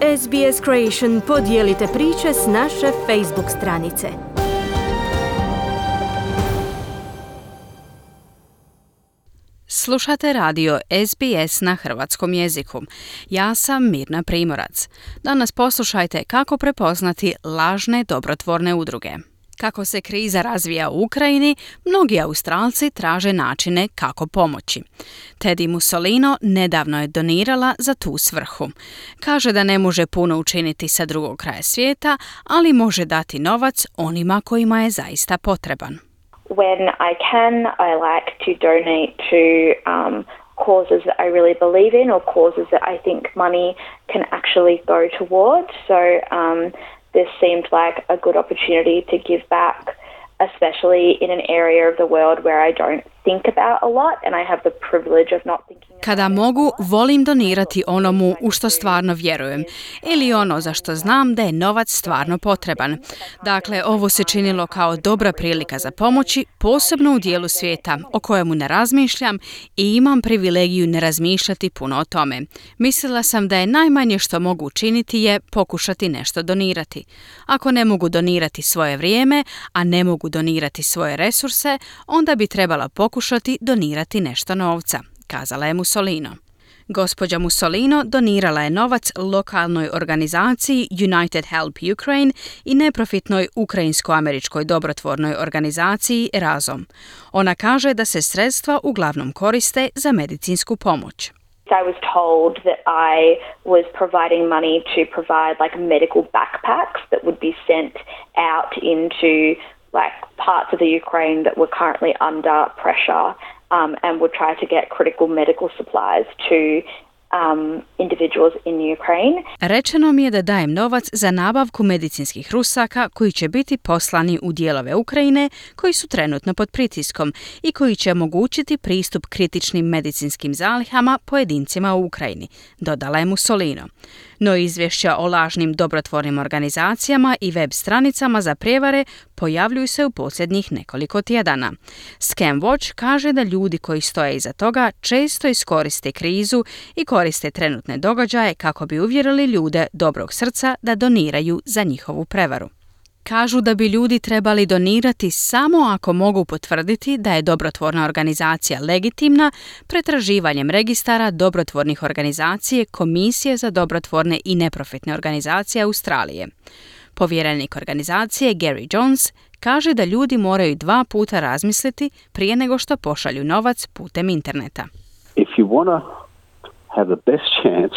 SBS Creation podijelite priče s naše Facebook stranice. Slušate radio SBS na hrvatskom jeziku. Ja sam Mirna Primorac. Danas poslušajte kako prepoznati lažne dobrotvorne udruge. Kako se kriza razvija u Ukrajini, mnogi Australci traže načine kako pomoći. Teddy Mussolino nedavno je donirala za tu svrhu. Kaže da ne može puno učiniti sa drugog kraja svijeta, ali može dati novac onima kojima je zaista potreban. When I can, I like to donate to causes that I really believe in or causes that I think money can actually go towards. So this seemed like a good opportunity to give back, especially in an area of the world where I don't think about a lot and I have the privilege of not thinking. Kada mogu, volim donirati onomu u što stvarno vjerujem ili ono za što znam da je novac stvarno potreban. Dakle, ovo se činilo kao dobra prilika za pomoći, posebno u dijelu svijeta o kojemu ne razmišljam i imam privilegiju ne razmišljati puno o tome. Mislila sam da je najmanje što mogu učiniti je pokušati nešto donirati. Ako ne mogu donirati svoje vrijeme, a ne mogu donirati svoje resurse, onda bi trebala pokušati donirati nešto novca, kazala je Mussolino. Gospođa Mussolino donirala je novac lokalnoj organizaciji United Help Ukraine i neprofitnoj ukrajinsko-američkoj dobrotvornoj organizaciji Razom. Ona kaže da se sredstva uglavnom koriste za medicinsku pomoć. I was told that I was providing money to provide like medical backpacks that would be sent out into like parts of the Ukraine that were currently under pressure. And would try to get critical medical supplies to individuals in Ukraine. Rečeno mi je da dajem novac za nabavku medicinskih rusaka koji će biti poslani u dijelove Ukrajine koji su trenutno pod pritiskom i koji će omogućiti pristup kritičnim medicinskim zalihama pojedincima u Ukrajini, dodala je Mussolino. No izvješća o lažnim dobrotvornim organizacijama i web stranicama za prijevare pojavljuju se u posljednjih nekoliko tjedana. Scam Watch kaže da ljudi koji stoje iza toga često iskoriste krizu i koriste trenutne događaje kako bi uvjerili ljude dobrog srca da doniraju za njihovu prevaru. Kažu da bi ljudi trebali donirati samo ako mogu potvrditi da je dobrotvorna organizacija legitimna pretraživanjem registara dobrotvornih organizacije Komisije za dobrotvorne i neprofitne organizacije Australije. Povjerenik organizacije Gary Jones kaže da ljudi moraju 2 puta razmisliti prije nego što pošalju novac putem interneta. If you want to have the best chance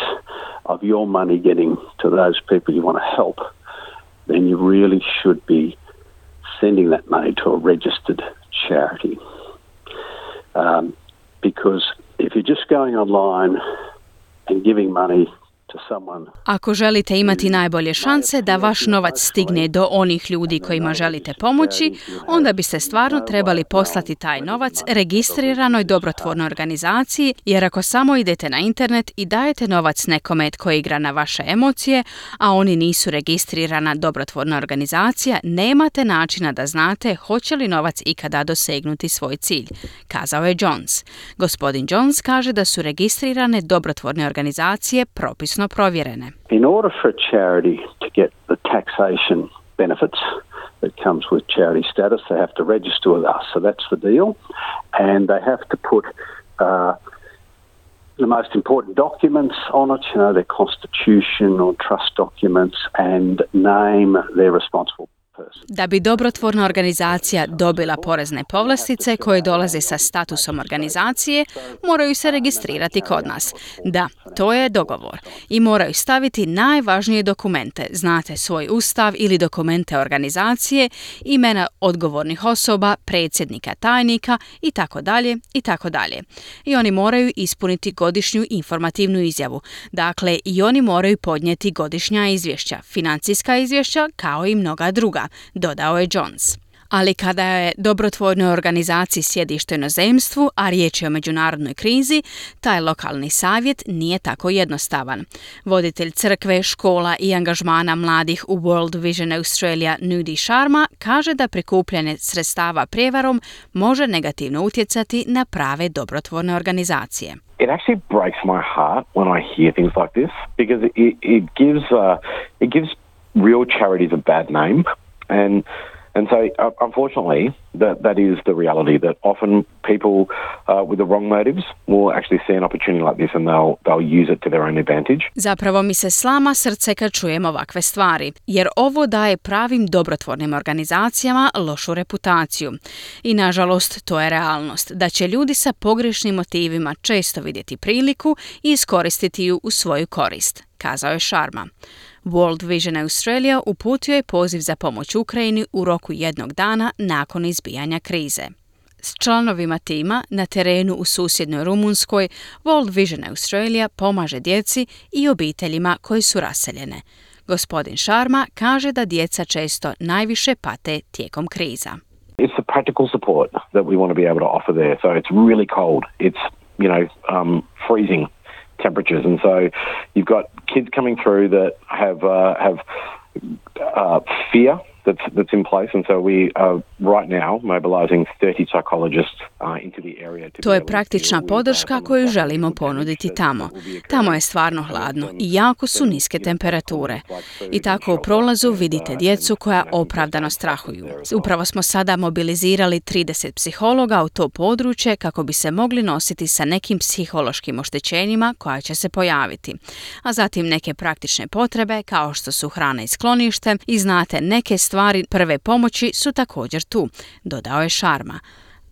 of your money getting to those people you want to help, then you really should be sending that money to a registered charity. Because if you're just going online and giving money to someone. Ako želite imati najbolje šanse da vaš novac stigne do onih ljudi kojima želite pomoći, onda biste stvarno trebali poslati taj novac registriranoj dobrotvornoj organizaciji, jer ako samo idete na internet i dajete novac nekome tko igra na vaše emocije, a oni nisu registrirana dobrotvorna organizacija, nemate načina da znate hoće li novac ikada dosegnuti svoj cilj, kazao je Jones. Gospodin Jones kaže da su registrirane dobrotvorne organizacije propisno provjerene. In order for a charity to get the taxation benefits that comes with charity status, they have to register with us. So that's the deal. And they have to put the most important documents on it, you know, their constitution or trust documents, and name their responsible person. Da bi dobrotvorna organizacija dobila porezne povlastice koje dolaze sa statusom organizacije, moraju se registrirati kod nas. Da, to je dogovor. I moraju staviti najvažnije dokumente, znate svoj ustav ili dokumente organizacije, imena odgovornih osoba, predsjednika, tajnika itd. itd. I oni moraju ispuniti godišnju informativnu izjavu. Dakle, i oni moraju podnijeti godišnja izvješća, financijska izvješća kao i mnoga druga, dodao je Jones. Ali kada je dobrotvornoj organizaciji sjedište u inozemstvu, a riječ je o međunarodnoj krizi, taj lokalni savjet nije tako jednostavan. Voditelj crkve, škola i angažmana mladih u World Vision Australia Nudi Sharma kaže da prikupljanje sredstava prijevarom može negativno utjecati na prave dobrotvorne organizacije. It actually breaks my heart when I hear things like this because it gives real charities a bad name, and so unfortunately that is the reality that often people with the wrong motives will actually see an opportunity like this and they'll use it to their own advantage. Zapravo mi se slama srce kad čujem ovakve stvari, jer ovo daje pravim dobrotvornim organizacijama lošu reputaciju. I nažalost, to je realnost, da će ljudi sa pogrešnim motivima često vidjeti priliku i iskoristiti ju u svoju korist, kazao je Sharma. World Vision Australia uputio je poziv za pomoć Ukrajini u roku jednog dana nakon izbijanja krize. S članovima tima na terenu u susjednoj Rumunjskoj, World Vision Australia pomaže djeci i obiteljima koji su raseljene. Gospodin Sharma kaže da djeca često najviše pate tijekom kriza. It's the practical support that we want to be able to offer there. So it's really cold. It's, freezing temperatures, and so you've got kids coming through that have fear that's in place, and so we are right now mobilizing 30 psychologists into the area. To je praktična podrška koju želimo ponuditi tamo. Tamo je stvarno hladno i jako su niske temperature. I tako u prolazu vidite djecu koja opravdano strahuju. Upravo smo sada mobilizirali 30 psihologa u to područje kako bi se mogli nositi sa nekim psihološkim oštećenjima koja će se pojaviti. A zatim neke praktične potrebe kao što su hrana i sklonište i znate neke stvari prve pomoći su također tu, dodao je Sharma.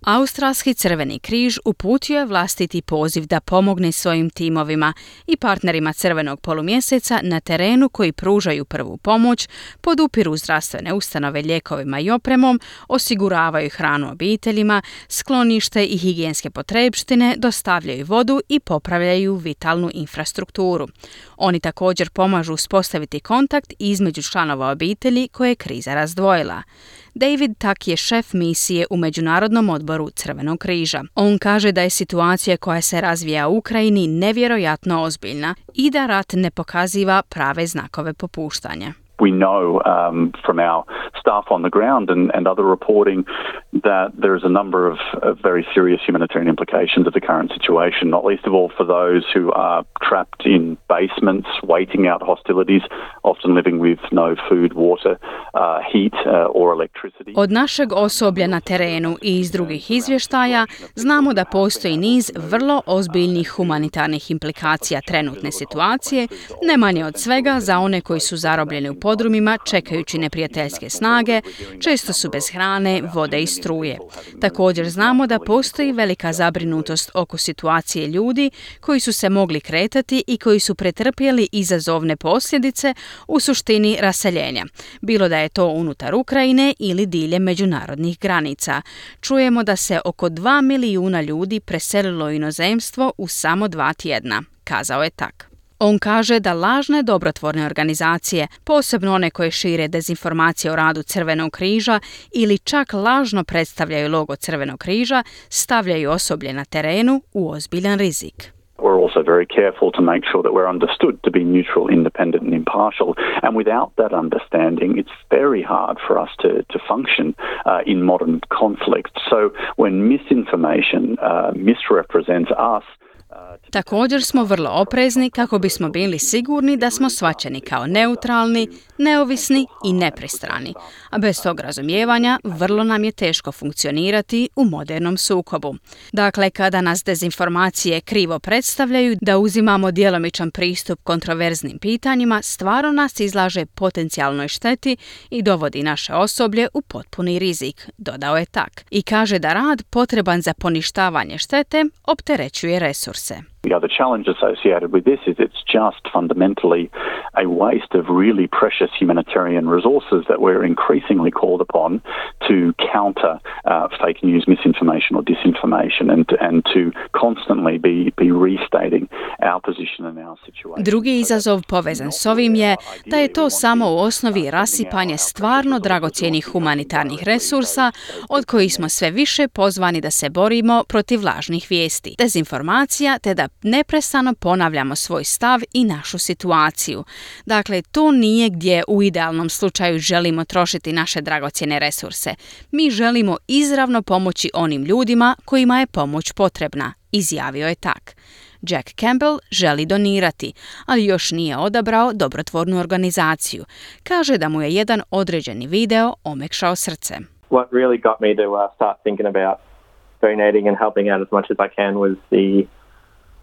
Australski Crveni križ uputio je vlastiti poziv da pomogne svojim timovima i partnerima Crvenog polumjeseca na terenu koji pružaju prvu pomoć, podupiru zdravstvene ustanove lijekovima i opremom, osiguravaju hranu obiteljima, sklonište i higijenske potrepštine, dostavljaju vodu i popravljaju vitalnu infrastrukturu. Oni također pomažu uspostaviti kontakt između članova obitelji koje je kriza razdvojila. David Tak je šef misije u Međunarodnom odboru Crvenog križa. On kaže da je situacija koja se razvija u Ukrajini nevjerojatno ozbiljna i da rat ne pokaziva prave znakove popuštanja. We know from our staff on the ground and other reporting that there is a number of very serious humanitarian implications of the current situation, not least of all for those who are trapped in basements, waiting out hostilities, often living with no food, water, heat or electricity. Od našeg osoblja na terenu i iz drugih izvještaja znamo da postoji niz vrlo ozbiljnih humanitarnih implikacija trenutne situacije, ne manje od svega za one koji su zarobljeni u podrumima čekajući neprijateljske snage, često su bez hrane, vode i struje. Također znamo da postoji velika zabrinutost oko situacije ljudi koji su se mogli kretati i koji su pretrpjeli izazovne posljedice u suštini raseljenja, bilo da je to unutar Ukrajine ili diljem međunarodnih granica. Čujemo da se oko 2 milijuna ljudi preselilo u inozemstvo u samo 2 tjedna, kazao je Tak. On kaže da lažne dobrotvorne organizacije, posebno one koje šire dezinformacije o radu Crvenog križa ili čak lažno predstavljaju logo Crvenog križa, stavljaju osoblje na terenu u ozbiljan rizik. We're also very careful to make sure that we're understood to be neutral, independent and impartial. And without that understanding, it's very hard for us to function in modern conflict. So when misinformation misrepresents us, Također smo vrlo oprezni kako bismo bili sigurni da smo shvaćeni kao neutralni, neovisni i nepristrani. A bez tog razumijevanja vrlo nam je teško funkcionirati u modernom sukobu. Dakle, kada nas dezinformacije krivo predstavljaju da uzimamo djelomičan pristup kontroverznim pitanjima, stvarno nas izlaže potencijalnoj šteti i dovodi naše osoblje u potpuni rizik, dodao je Tak. I kaže da rad potreban za poništavanje štete opterećuje resurse. The other challenge associated with this is it's just fundamentally a waste of really precious humanitarian resources that we're increasingly called upon to counter fake news, misinformation or disinformation and to constantly be restating our position and our situation. Drugi izazov povezan s ovim je da je to samo u osnovi rasipanje stvarno dragocjenih humanitarnih resursa od kojih smo sve više pozvani da se borimo protiv lažnih vijesti, dezinformacija te da neprestano ponavljamo svoj stav i našu situaciju. Dakle, to nije gdje u idealnom slučaju želimo trošiti naše dragocjene resurse. Mi želimo izravno pomoći onim ljudima kojima je pomoć potrebna, izjavio je tak. Jack Campbell želi donirati, ali još nije odabrao dobrotvornu organizaciju. Kaže da mu je jedan određeni video omekšao srce. What really got me to start thinking about donating and helping out as much as I can was the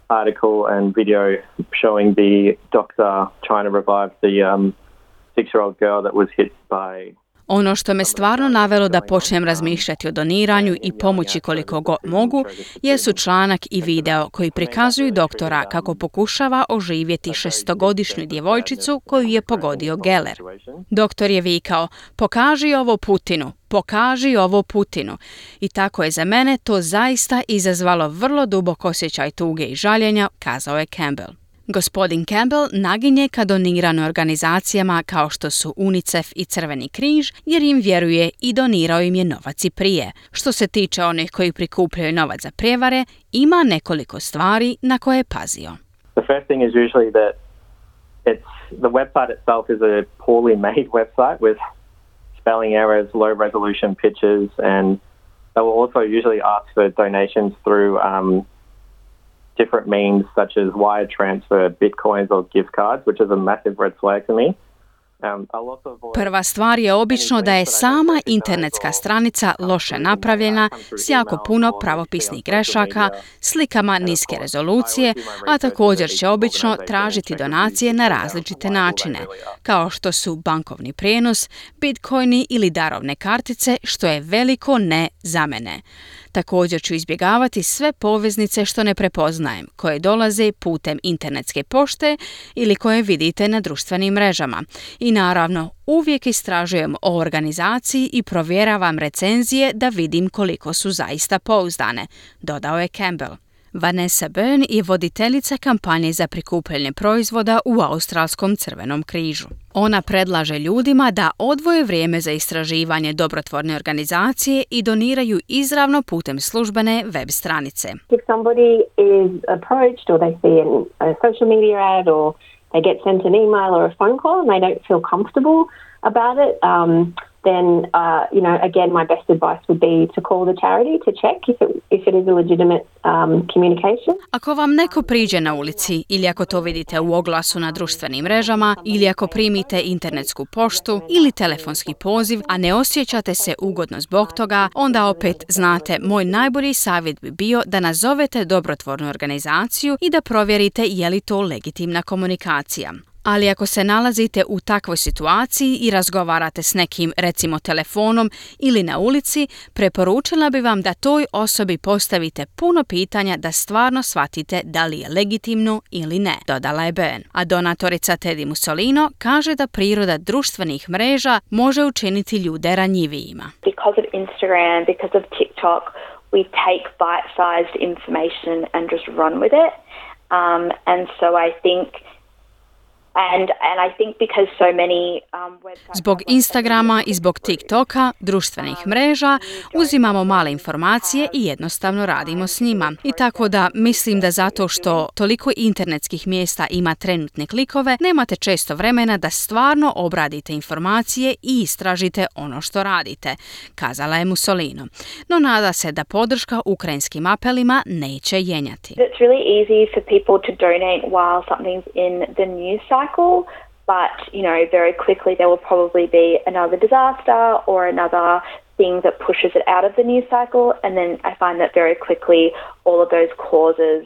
article and video showing the doctor trying to revive the 6-year-old girl that was hit by... Ono što me stvarno navelo da počnem razmišljati o doniranju i pomoći koliko god mogu, jesu članak i video koji prikazuju doktora kako pokušava oživjeti 6-godišnju djevojčicu koju je pogodio geler. Doktor je vikao, pokaži ovo Putinu, pokaži ovo Putinu. I tako je za mene to zaista izazvalo vrlo dubok osjećaj tuge i žaljenja, kazao je Campbell. Gospodin Campbell naginje ka doniranju organizacijama kao što su UNICEF i Crveni križ, jer im vjeruje i donirao im je novac i prije. Što se tiče onih koji prikupljaju novac za prijevare, ima nekoliko stvari na koje je pazio. The first thing is usually that the website itself is a poorly made website with spelling errors, low resolution pictures, and they will also usually ask for donations through different means such as wire transfer, bitcoins or gift cards, which is a massive red flag to me. Prva stvar je obično da je sama internetska stranica loše napravljena s jako puno pravopisnih grešaka, slikama niske rezolucije, a također će obično tražiti donacije na različite načine, kao što su bankovni prijenos, bitcoini ili darovne kartice, što je veliko ne za mene. Također ću izbjegavati sve poveznice što ne prepoznajem, koje dolaze putem internetske pošte ili koje vidite na društvenim mrežama. I naravno, uvijek istražujem o organizaciji i provjeravam recenzije da vidim koliko su zaista pouzdane, dodao je Campbell. Vanessa Byrne je voditeljica kampanje za prikupljanje proizvoda u Australskom Crvenom križu. Ona predlaže ljudima da odvoje vrijeme za istraživanje dobrotvorne organizacije i doniraju izravno putem službene web stranice. If somebody is approached or they see a social media ad or they get sent an email or a phone call and they don't feel comfortable about it, then, again, my best advice would be to call the charity to check if it is a legitimate communication. Ako vam neko priđe na ulici ili ako to vidite u oglasu na društvenim mrežama ili ako primite internetsku poštu ili telefonski poziv, a ne osjećate se ugodno zbog toga, onda opet znate, moj najbolji savjet bi bio da nazovete dobrotvornu organizaciju i da provjerite je li to legitimna komunikacija. Ali ako se nalazite u takvoj situaciji i razgovarate s nekim, recimo telefonom ili na ulici, preporučila bi vam da toj osobi postavite puno pitanja da stvarno shvatite da li je legitimno ili ne, dodala je Byrne. A donatorica Teddy Mussolino kaže da priroda društvenih mreža može učiniti ljude ranjivijima. Because of Instagram, because of TikTok, we take bite-sized information and just run with it. And so I think And I think because so many websites... Zbog Instagrama i zbog TikToka, društvenih mreža, uzimamo male informacije i jednostavno radimo s njima. I tako da mislim da zato što toliko internetskih mjesta ima trenutne klikove, nemate često vremena da stvarno obradite informacije i istražite ono što radite, kazala je Mussolino. No nada se da podrška ukrajinskim apelima neće jenjati. It's really easy for people to donate while something's in the news cycle, but, very quickly there will probably be another disaster or another thing that pushes it out of the news cycle, and then I find that very quickly all of those causes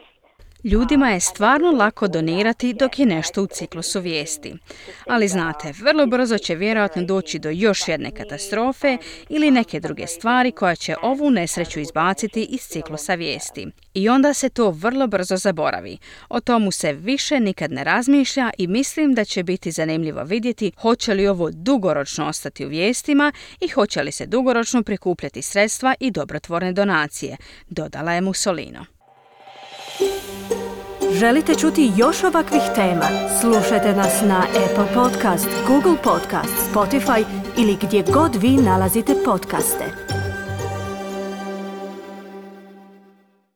Ljudima je stvarno lako donirati dok je nešto u ciklusu vijesti. Ali znate, vrlo brzo će vjerojatno doći do još jedne katastrofe ili neke druge stvari koja će ovu nesreću izbaciti iz ciklusa vijesti. I onda se to vrlo brzo zaboravi. O tomu se više nikad ne razmišlja i mislim da će biti zanimljivo vidjeti hoće li ovo dugoročno ostati u vijestima i hoće li se dugoročno prikupljati sredstva i dobrotvorne donacije, dodala je Mussolino. Želite čuti još ovakvih tema? Slušajte nas na Apple Podcast, Google Podcast, Spotify ili gdje god vi nalazite podcaste.